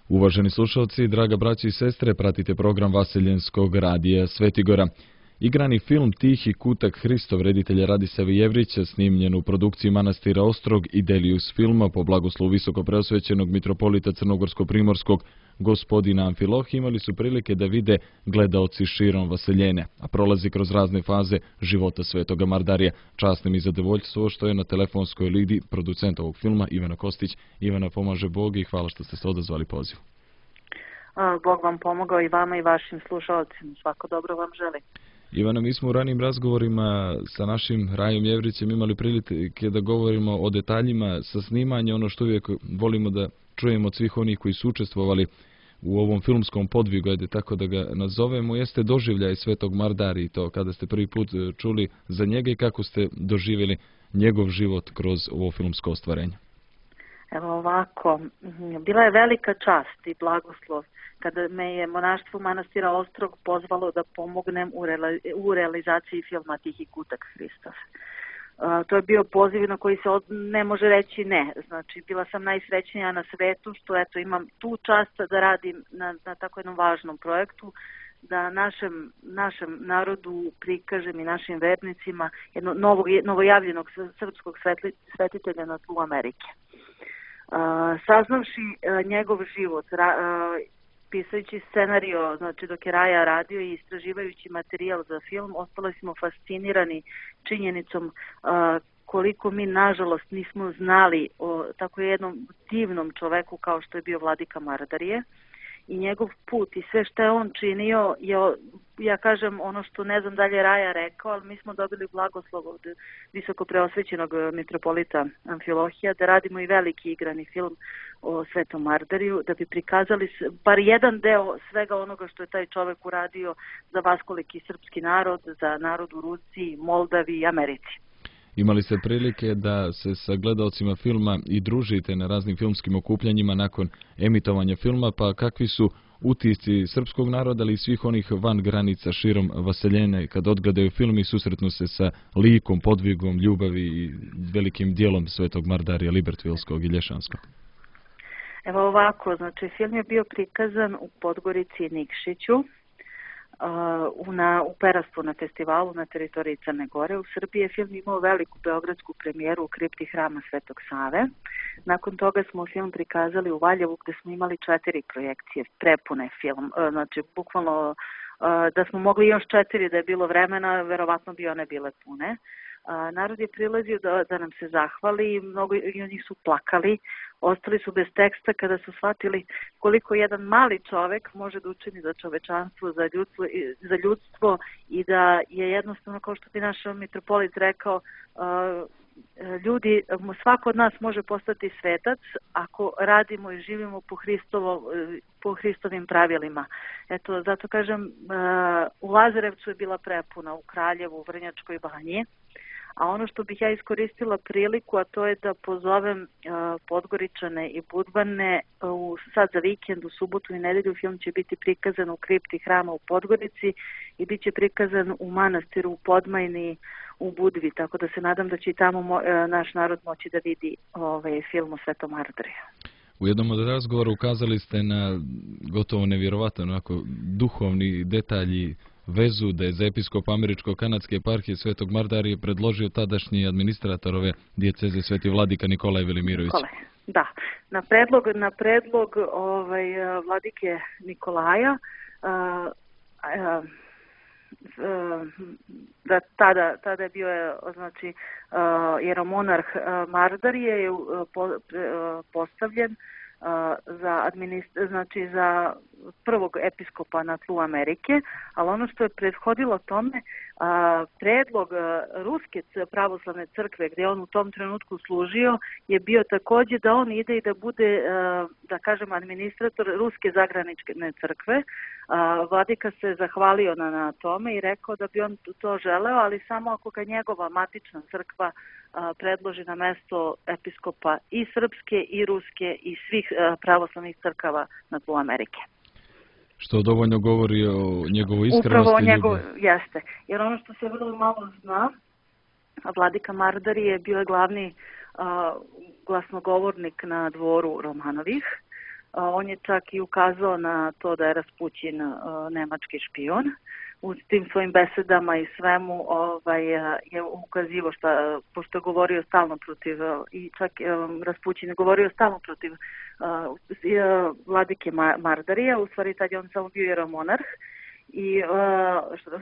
Uvaženi slušalci, draga braći i sestre, pratite program Vaseljenskog radija Svetigora. Igrani film Tihi kutak Hristov reditelja Radisava Jevrića, snimljen u produkciji manastira Ostrog i Delius filma po blagoslovu visoko preosvećenog mitropolita Crnogorsko-primorskog gospodina Amfilohija, imali su prilike da vide gledaoci širom Vaseljene, a prolazi kroz razne faze života svetoga Mardarija. Čast mi zadovoljstvo što je na telefonskoj liniji producent ovog filma Ivana Kostić. Ivana, pomaže Bog i hvala što ste se odazvali pozivu. Bog vam pomogao i vama i vašim slušalcima. Svako dobro vam želim. Ivana, mi smo u ranijim razgovorima sa našim Rajom Jevrićem imali prilike da govorimo o detaljima sa snimanja, ono što uvijek volimo da čujemo od svih onih koji su učestvovali u ovom filmskom podvigu, ajde tako da ga nazovemo, jeste doživljaj svetog Mardarija i to kada ste prvi put čuli za njega i kako ste doživjeli njegov život kroz ovo filmsko ostvarenje. Evo ovako, bila je velika čast i blagoslov kada me je monaštvo manastira Ostrog pozvalo da pomognem u realizaciji filma Tihi kutak Hristov. To je bio poziv na koji se ne može reći ne. Znači, bila sam najsrećnija na svetu što eto imam tu čast da radim na tako jednom važnom projektu, da našem narodu prikažem i našim vernicima jednog novojavljenog srpskog svetitelja na tlu Amerike. Saznavši njegov život, pisajući scenario, znači dok je Raja radio i istraživajući materijal za film, ostali smo fascinirani činjenicom koliko mi nažalost nismo znali o tako jednom divnom čoveku kao što je bio vladika Mardarije i njegov put i sve što je on činio je, ja kažem ono što ne znam dalje Raja rekao, ali mi smo dobili blagoslov od visoko preosvećenog mitropolita Amfilohija da radimo i veliki igrani film o svetom Mardariju, da bi prikazali bar jedan deo svega onoga što je taj čovek uradio za vaskoliki srpski narod, za narod u Rusiji, Moldavi i Americi. Imali ste prilike da se sa gledaocima filma i družite na raznim filmskim okupljanjima nakon emitovanja filma, pa kakvi su utisci srpskog naroda, ali i svih onih van granica širom Vaseljene kad odgledaju film i susretnu se sa likom, podvigom, ljubavi i velikim dijelom svetog Mardarija Libertvilskog i Lješanskog? Evo ovako, znači film je bio prikazan u Podgorici i Nikšiću, u Perastvu na festivalu na teritoriji Crne Gore. U Srbiji je film imao veliku beogradsku premijeru u kripti hrama Svetog Save. Nakon toga smo film prikazali u Valjevu gdje smo imali 4 projekcije, prepune film, znači bukvalno da smo mogli još 4 da je bilo vremena, verovatno bi one bile pune. Narod je prilazio da nam se zahvali i mnogo od njih su plakali, ostali su bez teksta kada su shvatili koliko jedan mali čovek može da učini za čovečanstvo, za ljudstvo i da je jednostavno, kao što bi naš mitropolit rekao, ljudi, svako od nas može postati svetac ako radimo i živimo po Hristovim pravilima. Eto, zato kažem, u Lazarevcu je bila prepuna, u Kraljevu, u Vrnjačkoj Banji. A ono što bih ja iskoristila priliku, a to je da pozovem Podgoričane i Budvane sad za vikend, u subotu i nedelju, film će biti prikazan u kripti hrama u Podgorici i bit će prikazan u manastiru u Podmajni u Budvi, tako da se nadam da će i tamo naš narod moći da vidi film o Svetom Mardariju. U jednom od razgovora ukazali ste na gotovo nevjerovatan duhovni detalji vezu da je za episkop američko-kanadske eparhije Svetog Mardarija predložio tadašnji administrator ove dijeceze Sveti vladika Nikolaj Velimirović. Da, na predlog vladike Nikolaja, da tada je bio znači jeromonarh Mardarije je postavljen za prvog episkopa na tlu Amerike, ali ono što je prethodilo tome, predlog Ruske pravoslavne crkve gdje on u tom trenutku služio je bio također da on ide i da bude, da kažem, administrator Ruske zagranične crkve. Vladika se zahvalio na tome i rekao da bi on to želeo, ali samo ako ga njegova matična crkva predloži na mesto episkopa i srpske i ruske i svih pravoslavnih crkava na tlu Amerike. Što dovoljno govori o njegovoj iskrenosti. Upravo jeste. Jer ono što se vrlo malo zna, vladika Mardarije je bio glavni glasnogovornik na dvoru Romanovih. On je čak i ukazao na to da je Raspućin nemački špijun. U tim svojim besedama i svemu je ukazivo pošto je govorio stalno protiv, i čak Raspućin je govorio stalno protiv vladike Mardarija, u stvari tad je on samo bio jeromonarh, i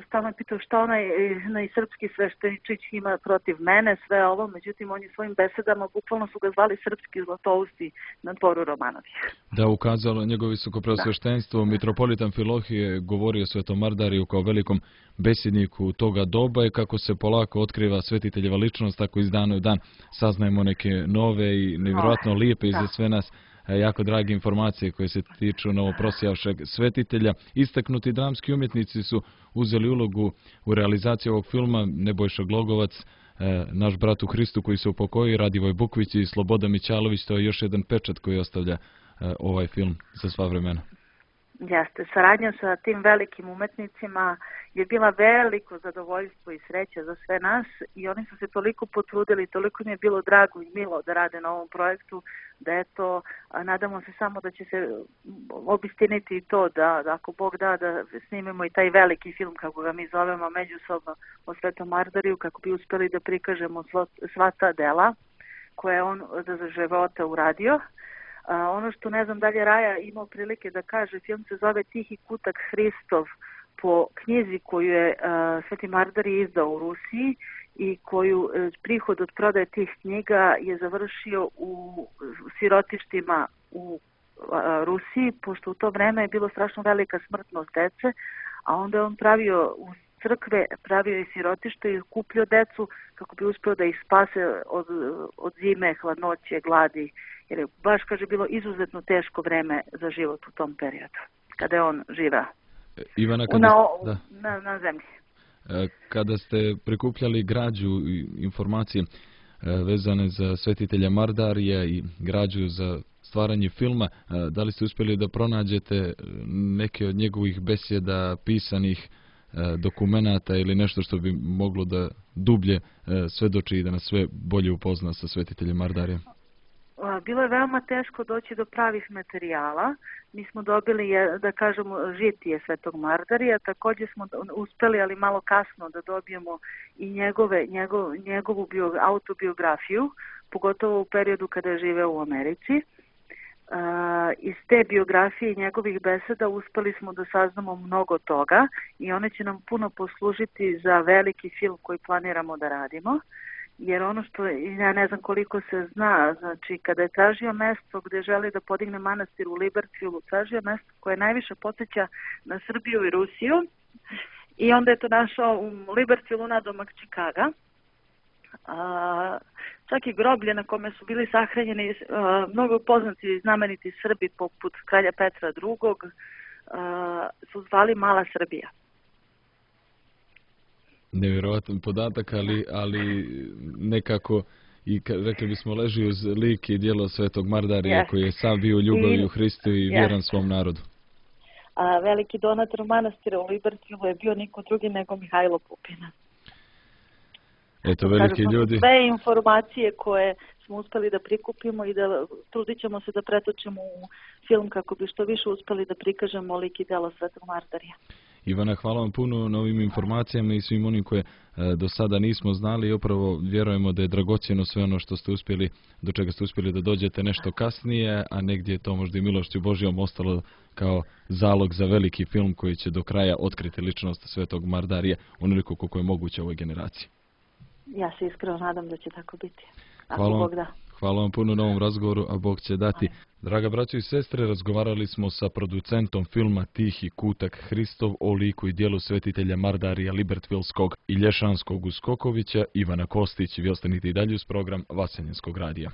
stalno je pitao šta onaj srpski svešteničić ima protiv mene, sve ovo, međutim on je svojim besedama, bukvalno su ga zvali srpski Zlatousti na dvoru Romanovih. Da, ukazalo njegovo visokopreosveštenstvo, mitropolitan Filohije govorio Svetom Mardariju kao velikom besjedniku toga doba i kako se polako otkriva svetiteljeva ličnost, tako iz dana u dan saznajemo neke nove i nevjerojatno lijepe i za sve nas jako drage informacije koje se tiču novoprosjavšeg svetitelja. Istaknuti dramski umjetnici su uzeli ulogu u realizaciji ovog filma: Nebojša Glogovac, naš brat u Hristu koji se upokojio, Radivoj Bukvić i Sloboda Mićalović. To je još jedan pečat koji ostavlja ovaj film za sva vremena. Jeste, saradnja sa tim velikim umetnicima je bila veliko zadovoljstvo i sreća za sve nas i oni su se toliko potrudili, toliko mi je bilo drago i milo da rade na ovom projektu, da eto, nadamo se samo da će se obistiniti to da ako Bog da snimimo i taj veliki film, kako ga mi zovemo, međusobno o Svetom Mardariju, kako bi uspjeli da prikažemo sva ta dela koje je on za života uradio. Ono što ne znam da li je Raja imao prilike da kaže, film se zove Tihi kutak Hristov po knjizi koju je Sveti Mardarij izdao u Rusiji i koju prihod od prodaje tih knjiga je završio u sirotištima u Rusiji, pošto u to vreme je bilo strašno velika smrtnost dece, a onda je on pravio u crkve, pravio i sirotište i kupljio decu kako bi uspio da ih spase od zime, hladnoće, gladi, jer je baš, kaže, bilo izuzetno teško vreme za život u tom periodu, kada je on živeo Ivana, na zemlji. Kada ste prikupljali građu i informacije vezane za svetitelja Mardarija i građu za stvaranje filma, da li ste uspjeli da pronađete neke od njegovih besjeda, pisanih dokumenata ili nešto što bi moglo da dublje svedoči i da nas sve bolje upozna sa svetiteljem Mardarijem? Bilo je veoma teško doći do pravih materijala. Mi smo dobili, da kažemo, žitije Svetog Mardarija, također smo uspeli, ali malo kasno, da dobijemo i njegovu autobiografiju, pogotovo u periodu kada je živeo u Americi. Iz te biografije i njegovih beseda uspeli smo da saznamo mnogo toga i one će nam puno poslužiti za veliki film koji planiramo da radimo. Jer ono što, ja ne znam koliko se zna, znači kada je tražio mesto gdje želi da podigne manastir u Libertfieldu, tražio mesto koje najviše podsjeća na Srbiju i Rusiju i onda je to našao u Libertfieldu nadomak Čikaga. Čak i groblje na kome su bili sahranjeni mnogo poznati i znameniti Srbi poput kralja Petra II. Su zvali Mala Srbija. Nevjerojatan podatak, ali nekako i rekli bismo leži uz lik i djelo Svetog Mardarija koji je sam bio u ljubavi u Hristu i vjeran svom narodu. A veliki donator manastira u Libertfieldu je bio niko drugi nego Mihajlo Pupina. Eto, veliki ljudi. Sve informacije koje smo uspeli da prikupimo i da trudit ćemo se da pretočimo u film kako bi što više uspeli da prikažemo lik i djelo Svetog Mardarija. Ivana, hvala vam puno na ovim informacijama i svim onim koje do sada nismo znali i upravo vjerujemo da je dragocjeno sve ono što ste uspjeli, do čega ste uspjeli da dođete nešto kasnije, a negdje je to možda i milošću Božjom ostalo kao zalog za veliki film koji će do kraja otkriti ličnost Svetog Mardarija onoliko koliko je moguće ovoj generaciji. Ja se iskreno nadam da će tako biti. Hvala vam puno na ovom razgovoru, a Bog će dati. Draga braćo i sestre, razgovarali smo sa producentom filma Tihi kutak Hristov o liku i djelu svetitelja Mardarija Libertfieldskog i Lješanskog u Skokovića, Ivana Kostić. Vi ostanite i dalje uz program Vaseljenskog radija.